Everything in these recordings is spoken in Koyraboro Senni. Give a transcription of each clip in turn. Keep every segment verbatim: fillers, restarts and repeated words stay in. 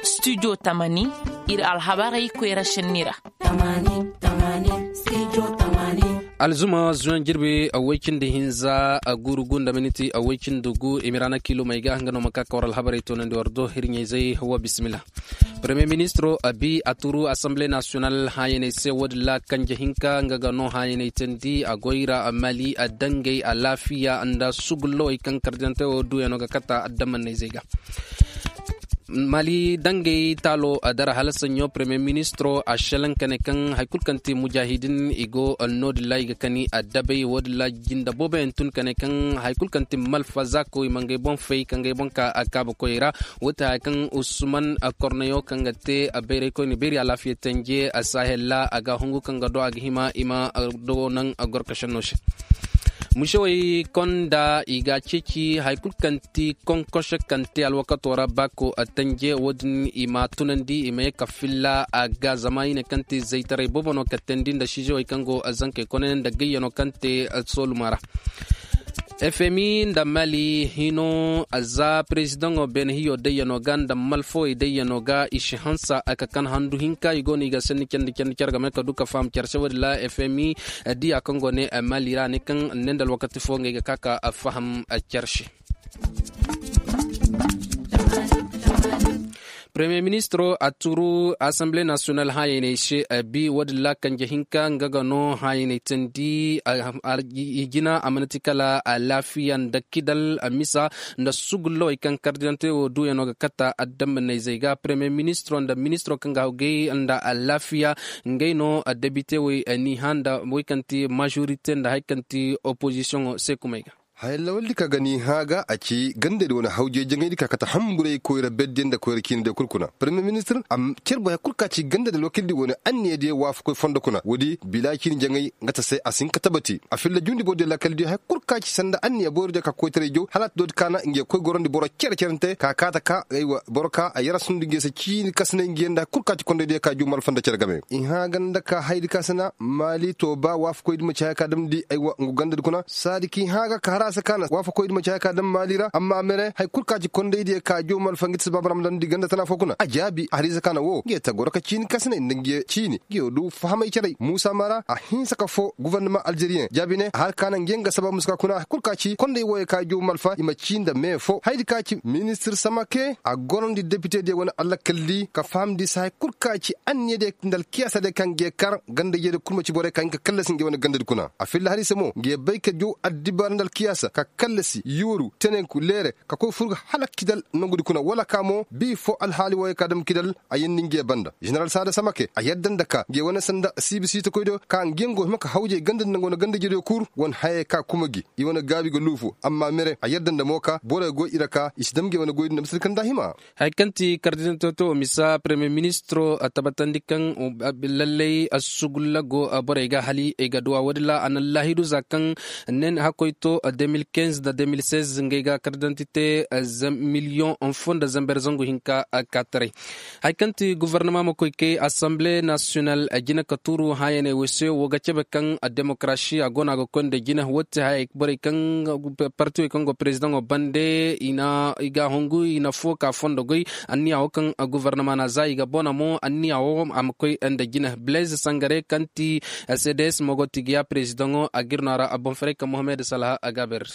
Studio tamani, iri alhabarey koyra šenni ra. Alzuma zuwan jirbi away cindi hinza a guuru gu nda miniti away cindi gu i ma ra na kiilumey ga nga no ma ka ka war alhabarey toonandi war do hirɲey zey wa bisimila. Premier ministro a bi a turu assemblée nationale haayaney se wo- din ra kanje hinka nga ga no haayaney teendi a goy ra mali a dangey alaafiya nda sugullowey kaŋ kardiyante wo duuyano ga kata addamanney zey ga. Mali dangey taalo a dara hala saɲɲo premier ministro a šelaŋ ka ne kaŋ hari kulu kaŋ ti mujahidin i go no- din ra i ga kani a dabey wo- din ra jinda booboyaŋ tun ka ne kaŋ hari kulu kaŋ ti malfa zaako i ma ngey boŋ fay ka ngey boŋ ka a kaaba koyey ra. Wo ti haya kaŋ usman korneyo kaŋ ga te bayraykoyne beeri alaafiya tanje sahel ra a ga hungu kaŋ ga do a ga hima i ma do naŋ gorkašenno se. Musewey konda i ga a ceeci hari kulu kaŋ ti konkose kaŋ te alwakato ra baako tanje wo- din i ma tunandi i ma ye ka filla a ga zama i ne kaŋ ti zaytaray boobo no ka teendi nda siizewey kaŋ go zankey kone nda gayyano kaŋ te sooluma ra. Fmi nda mali hino za perezidaŋo beene hiyo dayyano ga nda malfawey dayyano ga i si hansa a ka kan handu hinka i go no i ga sanni candi candi care game ka du ka faham care se wo- din ra. Fmi diya kaŋ go ne mali ra ne kaŋ ne nda alwakati fo ngey ga ka ka faham care se. Premier ministro a turu assemblée nationale haayaney se a bi wo- din ra kanje hinka nga ga no haayaney teendi. I jina a mana ti kala alaafiya nda kidal a misa nda sugullawey kaŋ kardiyante wo duuyano ga kata adambaney zey ga premier ministro nda ministro kaŋ ga hawgay nda alaafiya ngey no debite wey ni hã nda wey kaŋ ti majorite nda hari kaŋ ti opozisiyoŋo se kumey ga. Haya lawaldi ka ga ni hã ga a ci gandadi wane hawjay jaŋaydi ka kate hamburay koyra berdiyaŋ nda koyra ciinidiyaŋ kul kuna premier ministir a car boy hari kul ka ci gandadi alwakildi wane anniyadiyaŋ waafakoy fondo kuna woodi bila ciini jaŋay nga ta se a si hin ka tabati a filla jundi borodiyaŋ laakaldiyaŋ hari kul ka ci sanda anniya borodiyaŋ ka koytaray jaw hala a ta doodi kaana nga ye koy gorandi boro cere cerante ka kaata ka aywa boro ka a yara sundu nga ye se ciini kasinay nga ye nda hari kul ka ci kondaydiyaŋ ka juu malfa nda cere game. I hã ganda ka hayadi ka sina maali to ba waafakoydi ma ci haya ka damndi aywa ngu gandadi kuna saadi k'i hã ga ka har a se kaana waafakoydi ma ci haya ka dam maali ra amma mere hari kul ka ci kondaydiyaŋ ka jow malfa nga ti si baaba ra ma damndi ganda tana fo kuna a jaabi a har i se kaana wo nga ye ta goro ka ciini kasinay nda nga ye ciini nga ye du fahamay caray muusa maara a hinsa ka foo gufornama alzeriyeŋ jaabi ne a har kaana nga ye nga sabab muska kuna hari kul ka ci konday wooyo ka jow malfa i ma cii nda mee fo hayadi ka ci ministir samake a gorandi depitediyaŋ wane allakalli ka fahamndi se hari kul ka ci anniyadiyaŋ nda alkiyaasadiyaŋ kaŋ ga ye kar gandaydiyaŋ kul ma ci borey ka hin ka kallasi nga ye wane gandadi kuna a filla har i se mo nga ye bay ka jow addibaara nda alkiyaasa ka kallasi yooru tenenku leere ka koy fur ga hala kidal nongudi kuna wala ka mo bii fo alhaali wooyo ka dam kidal a yeendi nga ye banda ženeral saada samake a yadda nda ka nga ye wane sanda siibi siitakoydiyo ka nga ye nga go hima ka hawjay gandadi nda nga wane gandaydiyo kul wane hayey ka kuma gi i wane gaabi ga luufu amma mere a yadda nda mo ka borey go i ra ka i si dam ga i wane goydi nda misali kaŋ nda a hima. Hari kaŋ ti kardinal toto misa premier ministro a tabbatandi kaŋ lallay sugulla go borey ga hali i ga duwa woodin ra a na laahidu za kaŋ nen hakkoy to de mil kinz nda de mil seize ngey ga kardinal ti te miliyoŋ fo nda zamber zangu hinka. Kaataray hari kaŋ ti gofornama ma koy kay asamble nasiyonal jina ka tuuru hãyaney wo se wo ga cabe kaŋ demokarasi a go no a ga koy nda jina wo ti hayey borey kaŋ partiwey kaŋ go perezidaŋo bande i na i ga hungu i na fo ka fondo goy. Anniya wo kaŋ gofornama na za i ga bona mo anniya wo a ma koy nda jina blaise sangare kaŋ ti cds mogo tigiya perezidaŋo a gir no a ra a boŋ faray ka mohammed salaha a ga a beer.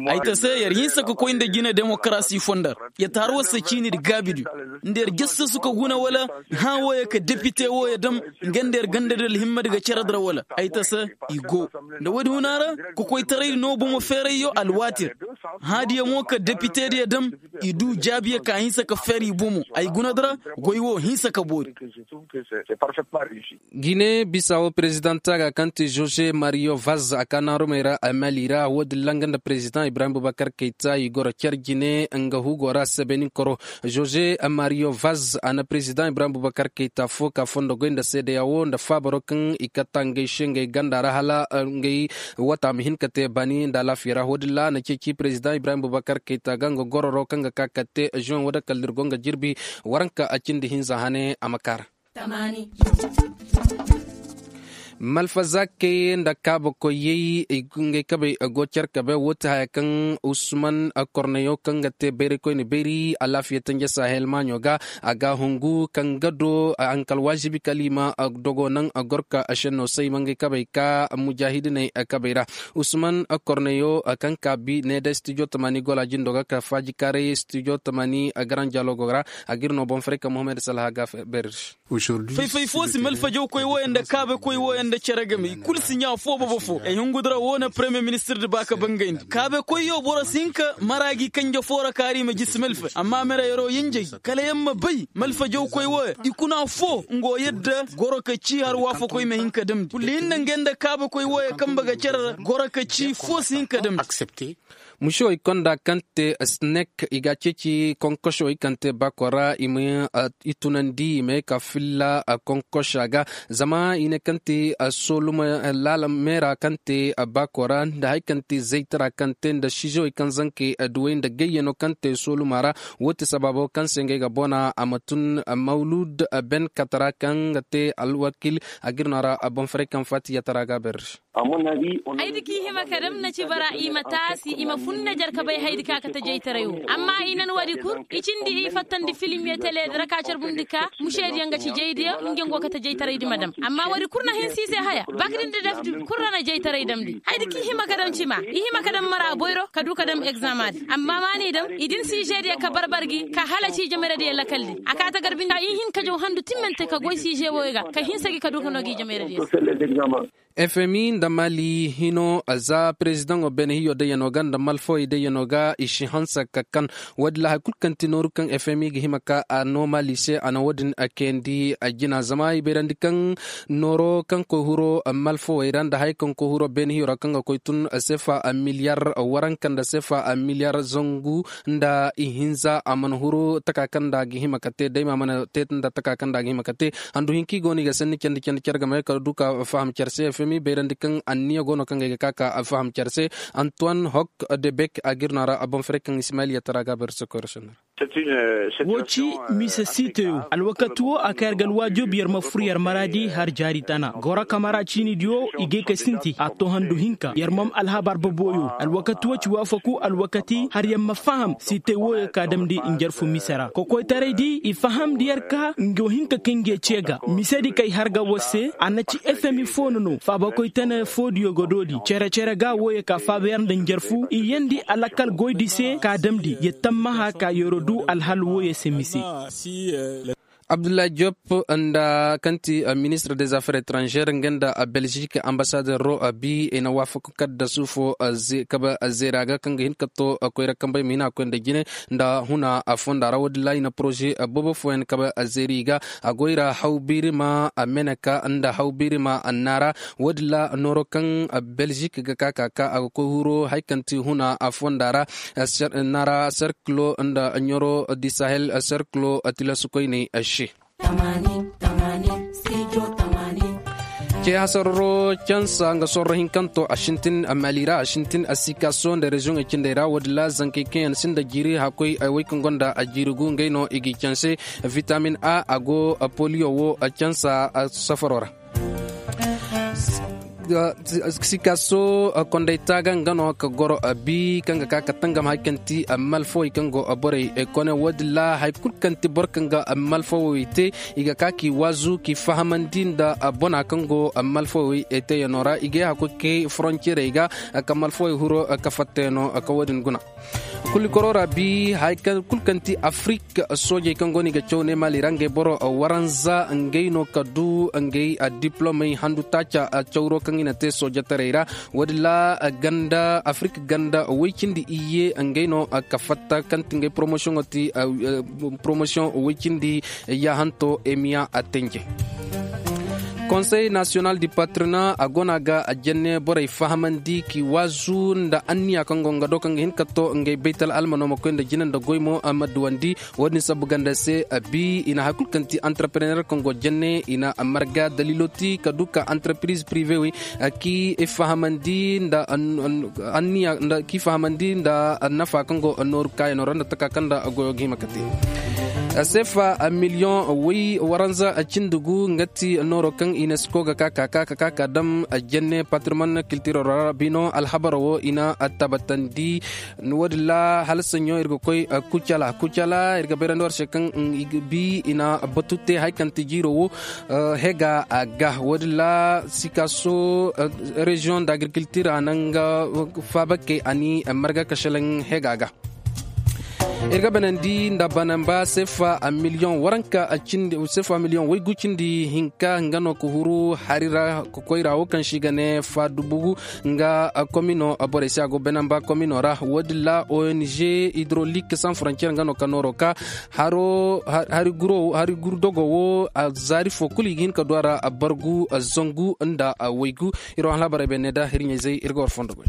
Ay ta se yer hinsa ka koy nda jina demokarasi fondar yer ta har war se ciini di gaabidi nda yer jassasu ka guna wala hã wooyo ka depite wooyo dam nga nda yer ganda di alhimmadi ga cere dira wala ay ta se i go nda woodi huna ra kokoytaraydi no bomo feerayyo alwaatir hãadiyo mo ka depitediyo dam i du jaabiyo ka hinsa ka feer i bomo ay guna dira goy wo hinsa ka boori. Gine bisa wo perezidanta ga kaŋ ti jose mario vaz a ka naarumey ra a mali ra woodin ra nga nda perezidaŋ ibrahim bubakar kayta i goro car jine nga hugo ra sebeninkoro jose mario vaz a na perezidaŋ ibrahim bubakar kayta fo ka fondo goy nda seedeya wo nda faabaro kaŋ i katta ngey se ngey ganda ra hala ngey wata ma hin ka te bani nda alaafiya ra woodin ra a na ceeci perezidaŋ ibrahim bubakar kayta ga nga gororo kaŋ ga ka ka te juwen wo da kala da ir go nga jirbi waranka a cindi hinza hane a ma kaara. Malfazakey nda kaabakoyey, ngey kabey go care kabe woo ti haya kaŋ usman korneyo kaŋ ga te bayraykoyne bayri alaafiya tanje sahel maaɲo ga. A ga hungu kaŋ ga do a hanka alwaazibi kala i ma dogo naŋ gorka šenno se i ma ngey kabey ka mujaahidiney kabey ra. Usman korneyo kaŋ ka bi ne day stijo tamani gola jindo ga ka faajikaaray stijo tamani garan jalogo ra. A ga ir no boŋ faray ka muhammad salha ga beeri. Fay-fay fo si malfajawkoy wooyaŋ nda kaabekoy wooyaŋ nda cere game i kulu si ɲaa foo bobo foo ay hungu dira woo na paremiyer ministir nda ba ka bangayndi kaabekoyyo boro si hin ka mara gi kanje foo ra kaari ma jisi malfay amma mera yeroo yinjay kala yaŋ ma bay malfajawkoy wooyaŋ i kuna foo nga wo yadda goro ka cii har waafakoy ma hin ka damndi kulli hinne ngey nda kaabekoy wooyaŋ kambe ga cere ra goro ka cii foo si hin ka damndi. Mušewey konda kaŋ te sinek i ga a ceeci konkošewey kaŋ te baakoo ra i ma i tunandi i ma ye ka filla konkoša ga. Zama i ne kaŋ te sooluma laala meera kaŋ te baakoo ra nda hari kaŋ te zaytara kaŋ te nda siizewey kaŋ zanke duwey nda gayyano kaŋ te sooluma ra. Woo ti sabaabo kaŋ se ngey ga bona a ma tun mawlud ben katara kaŋ ga te alwakil. A ga ir no a ra boŋ faray kaŋ faati yatara ga a beeri. Haydi kaŋ i hima ka dam na ci bara i ma taasi i ma fun na jar ka bay haydi kaŋ a kate jaytaray wo amma i nan woodi kul i cindi i fattandi filim ye tele di ra ka carbundi ka mušeediyaŋ ga ci jaydiyaŋ nga go kate jaytaray di ma dam amma woodi kul na hinsi i se haya bakdindi dafdi kul ra na jaytaray damndi haydi kaŋ i hima ka dam cima i hima ka dam mara boyro ka du ka dam egzama di amma ma n'i dam i din si žediyaŋ ka barbar gi ka hala ci jameradiyaŋ lakaldi a ka ta garbindi i hin ka jaw handu timmante ka goy si žewoyo ga ka hinsa gi ka du ka no gi jameradiyaŋ. Fmi nda mali hino za perezidaŋo beene hiyo dayyano ga nda malfawey dayyano ga i si hanse ka kan. Woodin ra hari kulu kaŋ ti nooru kaŋ fmi ga hima ka a no mali se a na woodin kayandi a jina zama i bayrandi kaŋ nooro kaŋ koy huro malfawey ra nda hari kaŋ koy huro beene hiyo ra kaŋ ga koy tun sefa miliyar waranka nda sefa miliyar zangu nda ihinza a mana huru taka kaŋ nda a ga hima ka te day ma mana te nda taka kaŋ nda a ga hima ka te. Handu hinka i go no i ga sanni candi candi care game kala du ka faham care se fmi bayrandi kaŋ anniya go no kaŋ ga ay ga ka ka faham care se. Antoine hok de bek a ga ir no a ra a boŋ fere kaŋ ismail yattara ga a bayra sokoy ra sennara. Wo ci mise siiteyo alwakati wo a ka yar ga alwaajoobi yar ma fur yar maraadi har jaari tana goro kamara ciinidiyo i gay ka sinti a to handu hinka yar mam alhabar boboyo alwakati wo ci waafaku alwakati har yar ma faham siitey wooyo ka damndi njarfu mise ra kokoytaraydi i fahamndi yar ka nga wo hinka kaŋ nga ye ce ga misedi kay har ga war se a na ci efemi fo no no faabakoy tana foodiyo ga doodi cere-cere ga wooyo ka faaba yar nda njarfu i yeendi alakal goydi se ka damndi ya tammaha ka yero du alhal wooyo se mise. Abdullahi jop nda kaŋ ti ministre des affaires étrangères nga nda belgique ambasadero bi i na waafaku kaddasu fo kabe zeera ga kaŋ ga hin ka to koyra kambey ma hin a koy nda jine nda huna fonda ra woodin ra i na poroze boobo fooyaŋ kabe zeeri ga a goy ra haw biirima meneka nda haw biirima annaara. Woodin ra nooro kaŋ belgique ga ka ka ka a ga koy huro hari kaŋ ti huna fonda ra nara serkilo nda ɲoro di sahel serkilo tilasu koyney se. Cee hasarro cansa nga sorro hinkanto a sintin mali ra a sintin a sikaso nda reziyoŋey cindey ra woodin ra zankey kaŋ yaŋ sinda jiiri hakkoy ay wey kaŋ gonda a jiiri gu ngey no i g'i canse. Vitamin a a go poliyo wo cansa safaro ra. Sikaso kondey taaga nga no ka goro bi kaŋ ga ka ka tangam hari kaŋ ti malfawey kaŋ go borey kone woodin ra hari kulu kaŋ ti boro kaŋ ga malfawey te i ga ka k'i waazu k'i fahamandi nda bona kaŋ go malfawey teeyano ra i ga ye hakkoy kay foronciyerey ga ka malfawey huro ka fattayano ka woodin guna. Kulikoroo ra bi hari kaŋ kulu kaŋ ti afirik soojey kaŋ go no i ga caw ne mali ra ngey boro waranza ngey no ka du ngey diplomey handu taaca cawro kaŋ i na te soojetaray ra. Woodin ra ganda afirik ganda woy cindi iyye ngey no ka fatta kaŋ ti ngey poromosiyoŋo ti poromosiyoŋ woy cindi yaahanto emiya a tenje. Konsey nasiyonal di patrina a go no a ga a jenne borey fahamandi k'i waazu nda anniya kaŋ go nga do kaŋ ga hin ka to ngey baytal almano ma koy nda jine nda goy mo a ma duwandi. Wo-din sabu ganda se a bi i na hari kulu kaŋ ti antarprener kaŋ go jenne i na marga dalilo ti ka du ka antarpiriz pirive wey k'i fahamandi nda anniya k'i fahamandi nda nafa kaŋ go nooru kaayano ra nda taka kaŋ nda goyo ga hima ka te. Sefa miliyoŋ way waranza cindi gu nga ti nooro kaŋ unesco ga ka ka ka ka ka dam jenne patrimoine kiltiro ra bino alhabaro wo i na tabbatandi. Wo- din ra hala saɲɲo ir ga koy kucala kucala ir ga bayrandi war se kaŋ i ga bi i na batu te hari kaŋ ti jiiro wo hega ga wo- din ra sikaso reziyoŋ da agrikultir a na nga faabakey a ni marga ka selaŋ hega ga. Ir ga banandi nda banamba sefa miliyoŋ waranka cindi sefa miliyoŋ waygu cindi hinka nga no ka huru hari ra ka koy ra wo kaŋ se i ga ne fa dubu nga komino borey se a go banamba komino ra wo- din ra ong hydrolique sans frontière nga no ka nooro ka hari guru dogo wo a zaari fo kulu i ga hin ka du a ra bargu zangu nda waygu. Ir wo alhabarey bay ne da hirɲey zey ir ga war fondo goy.